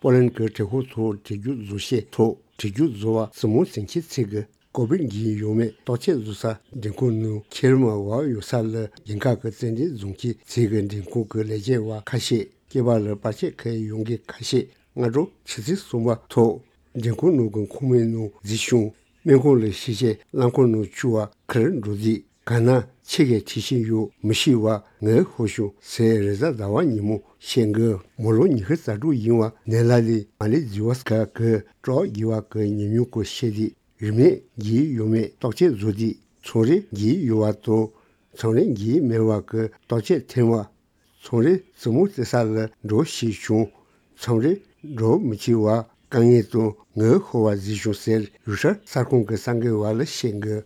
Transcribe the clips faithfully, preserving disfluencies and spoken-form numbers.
པོ་ལན་གྱི་གྲོས་ཁོག་ཐོག་གྲོས་རྒྱུགས་བཟོ་ཤེས་ཐོག་གྲོས་རྒྱུགས་བཟོ་བ་སི་མོན་སིང་ཆེན་ཚེ་གི་ཀོ་བིད་འགོས་ཡོད་མེད་བརྟག་དཔྱད་བཟོ་ས་མགྲོན་ཁང་ནང་ཁྱེར་མ་བ་ཡོད་ས་ལ་རྒྱལ་ཁབ་ཀྱི་རྩེད་འགྲན་བཟུང་ཁྱེར་ཚེ་གི་མགྲོན་ཁང་གི་ལས་བྱེད་པ་ཁ་ཤས་སྐྱེས་པ་ལ་པར་ཆས་ཁྱེར་ཡོང་མཁན་ཁ་ཤས་སྔ་དྲོ་ཆུ་ཚོད་གསུམ་པ་ཐོག་མགྲོན་ཁང་ནང་གི་ཁང་མིག་ནང་གཟིགས་བྱུང་། སྨན་ཁང་ལ་ཤི་རྗེས་རླངས་འཁོར་ནང་བཅུག་པ་ཁུར་འགྲོ་དུས་ག་ན་ཆེ་གེ་ཁྲིད་བཞིན་ཡོད་མི་ཤེས་པ་ངའི་ཧོ་བྱུང་ཟེར་རེས་གཟའ་ཟླ་བ་ཉིན་མོ་བཤད་འགི། མོ་ལོ་ཉི་ཤུ་རྩ་དྲུག་ཡིན་པ་ནད་ལ་ལས་མ་ལེ་ཛི་བ་སི་ཀ་གི་སྲོག་རྒྱས་པ་གི་ཉམས་མྱོང་སྐོར་བཤད་དུས་རིམས་ནད་འགོས་ཡོད་མེད་བརྟག་དཔྱད་བཟོ་དུས་ཚོང་རེ་འགོས་ཡོད་པ་དང་ཚོང་རེ་འགོས་མེད་པ་གི་བརྟག་དཔྱད་ཐེངས་པ། ཚོང་རེ་བཙུན་མོ་བཙལ་ས་ལ་འགྲོ་ཞེས་བྱུང་། ཚོང་རེ་འགྲོ་མི་བྱེད་པ་དཀའ་ངལ་དང་ངའི་ཧོ་བ་གཟིགས་བྱུང་ཟེར་རུ་ཤར་གསར་ཁང་གི་གསར་འགོད་པ་ལ་བཤད་འགི།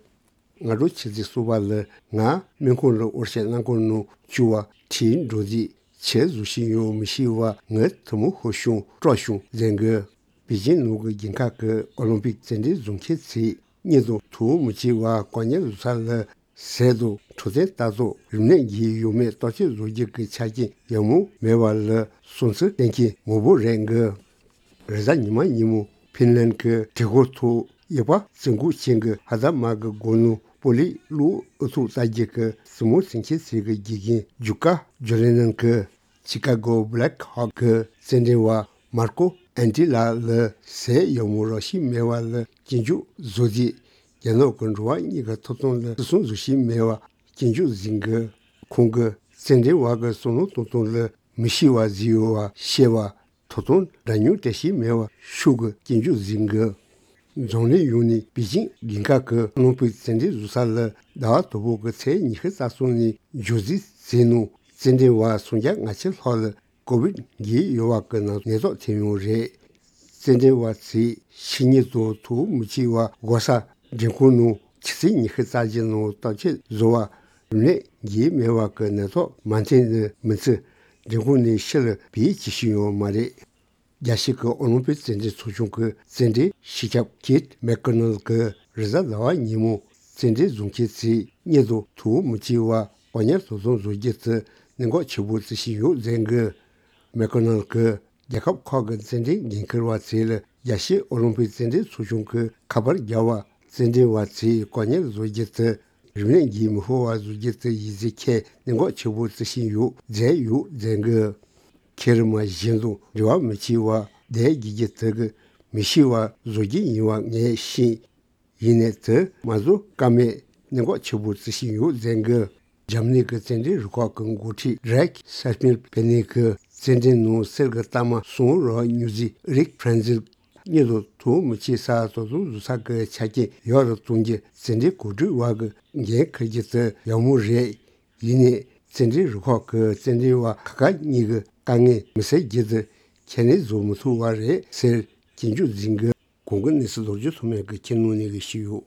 སྔ་དྲོ་ཆུ་ཚོད་གསུམ་པ་ལ་ང་སྨན་ཁང་ལ་འོར་ཞིག་རླངས་འཁོར་ནང་བཅུག་པ་ཁྲིད་འགྲོ་དུས་ཆེད་བཟོ་བཞིན་ཡོད་མི་ཤེས་པ་ངའི་ཐུན་མོང་ཧོ་བྱུང་སྲོག་བྱུང་ཟེར་འགི། པེ་ཅིན་ནང་གི་རྒྱལ་ཁབ་ཀྱི་ཨོ་ལིམ་པིག་རྩེད་འགྲན་བཟུང་མཁན་ཚོས་སྙིང་དང་ཐུགས་མི་གཅིག་པ་གོ་གཉེར་བཟོ་ས་ལ་ཟས་དང་འཕྲོད་བསྟེན་ལྟ་རྟོག་རིམས་ནད་འགོས་ཡོད་མེད་བརྟག་དཔྱད་བཟོ་རྒྱུ་གི་ཆ་རྐྱེན་ཡག་མོ་མེད་པ་ལ་བསམ་ཚུལ་བསྟན་མཁན་མང་པོ་རེད་འགི། རེས་གཟའ་ཉི་མ་ཉིན་མོ་ཕིན་ལན་གྱི་གྲོས་ཁོག་ཐོག་དབྱིན་པ་རྩེད་འགོ་ཅན་གྱི་ཧ་ད་མ་གི་སྒོ་ནང་པོ་ལིས་གློག་ཨུ་ཐུག་ལྟ་རྒྱུ་གི་བཙུན་མོ་སེམས་ཅན་ཟེར་གི་དགེ་རྒན་ཇུ་ཀ་ཇོ་ལེ་ནན་གྱི་ཆི་ཀ་གོ་བྷི་ལེག་ཧོག་གི་རྩེད་འགྲན་པ་མར་ཀོ་ཨན་ཏི་ལགས་ལ་ཟས་ཡག་མོ་རག་བཞིན་མེད་པ་ལ་སྐྱོན་བརྗོད་བཟོས་རྗེས་རྒྱ་ནག་གི་འགྲོ་བ་གཉིས་ཀྱི་ཐོབ་ཐང་ལ་བརྩི་སྲུང་བཟོ་བཞིན་མེད་པ་སྐྱོན་བརྗོད་བཟོས་འགི། ཁོང་གིས་རྩེད་འགྲན་པ་གི་བསམ་བློ་གཏོང་སྟངས་ལ་མི་ཤེས་པ་བཟོས་ཡོད་པ་བཤད་པ། ཐོབ་ཐང་འདྲ་མཉམ་སྤྲད་བཞིན་མེད་པ་ཤུགས་ཀྱིས་སྐྱོན་བརྗོད་བཟོས་འགི། འཛམ་གླིང་ཡོངས་ནས་པེ་ཅིན་རྒྱལ་ཁབ་ཀྱི་ཨོ་ལིམ་པིག་རྩེད་འགྲན་བཟོ་ས་ལ་ཟླ་བ་དང་པོ་གི་ཚེས་ཉི་ཤུ་རྩ་གསུམ་ནས་མཇུག་སྒྲིལ་བྱས་ནང་རྩེད་འགྲན་པ་སུམ་བརྒྱ་ལྔ་བཅུ་ལྷག་ལ་ཀོ་བིད་འགོས་ཡོད་པ་གི་ནད་ཐོག་ཐོན་ཡོད་རེད། རྩེད་འགྲན་པ་ཚོས་ཤི་མཁན་དང་ཐུགས་མི་གཅིག་པ་འགོ་ས་མགྲོན་ཁང་ནང་ཆུ་ཚོད་ཉི་ཤུ་རྩ་བཞི་ནང་བརྟག་དཔྱད་བཟོ་བ་རིམས་ནད་འགོས་མེད་པ་གི་ནད་ཐོག་མ་ཐོན་ནི་མི་ཚད་མགྲོན་ཁང་ནས་ཕྱི་ལ་བུད་ཅི་ཞིག་ཡོད་མ་རེད། རྒྱལ་སྤྱི་གི་ཨོ་ལིམ་པིག་རྩེད་འགྲན་ཚོགས་ཆུང་གི་རྩེད་འགྲན་སྤྱི་ཁྱབ་ཀེ་ཊི་མེག་ཀོ་ནལ་གྱིས་རེས་གཟའ་ཟླ་བ་ཉིན་མོ་རྩེད་འགྲན་བཟུང་མཁན་ཚོས་སྙིང་དང་ཐུགས་མི་གཅིག་པ་གོ་གཉེར་དོ་དམ་བཟོ་རྒྱུ་དེ་གནད་འགག་ཆེན་པོ་བརྩི་བཞིན་ཡོད་ཟེར་གི། མེག་ཀོ་ནལ་གྱིས་རྒྱལ་ཁབ་ཁག་གི་རྩེད་འགྲན་འགན་འཁུར་བ་ཚོ་ལ་རྒྱལ་སྤྱིའི་ཨོ་ལིམ་པིག་རྩེད་འགྲན་ཚོགས་ཆུང་གིས་ཁ་པར་བརྒྱབ་པ། རྩེད་འགྲན་པ་ཚོས་གོ་གཉེར་བཟོ་རྒྱུ་དེ་རིམས་ནད་འགོས་མི་ཤོར་བ་བཟོ་རྒྱུ་དེ་གཞི་རྩའི་ཁྱད་གནད་འགག་ཆེན་པོ་བརྩི་བཞིན་ཡོད་ཟེར་ཡོད་ཟེར་གི། མཁལ་རིས་མ་གཞན་དང་འབྲེལ་བ་མི་བྱེད་པ་བསྡད་རྒྱུ་རྒྱུ་དེ་གི་མི་ཤེས་པ་བཟོ་རྒྱུ་ཡིན་པ་ངས་ཤེས། ཡིན་ནའི་དེ་མ་བཟོ་ཀ་མེད་གནད་འགག་ཆེན་པོ་བརྩི་བཞིན་ཡོད་ཟེར་གི། འཇར་མ་ནི་གི་རྩེད་འགྲན་རུ་ཁག་གི་འགོ་ཁྲིད་རེག་སེ་སྨིར་ཕེ་ནེ་གིས་རྩེད་འགྲན་ནང་གསེར་གྱི་རྟགས་མ་གསུམ་རག་མྱུར་ཟིག་རིག་ཕྲན་ཟིལ་གཉིས་དང་ཐུགས་མི་གཅིག་ས་དོ་དམ་བཟོ་ས་གི་ཆ་རྐྱེན་ཡག་རུ་གཏོང་རྒྱུ་རྩེད་འགྲན་གོ་སྒྲིག་པ་གི་འགན་འཁུར་རྒྱུ་དེ་ཡག་མོ་རེད། ཡིན་ནའི་རྩེད་འགྲན་རུ་ཁག་གི་རྩེད་འགྲན་པ་ཁག་ཁག་གཉིས་ཀྱི་དཀའ་ངལ་མི་སེལ་རྒྱུ་དེ་ཁས་ལེན་བཟོ་མི་ཐུབ་པ་རེད་ཟེར་སྐྱོན་བརྗོད་མཛད་གི། གོང་གི་གནས་ཚུལ་རྡོ་རྗེ་ཐོགས་མེད་ཀྱིས་ཁྱེར་ནང་ནས་གི་ཞུས་ཡོད།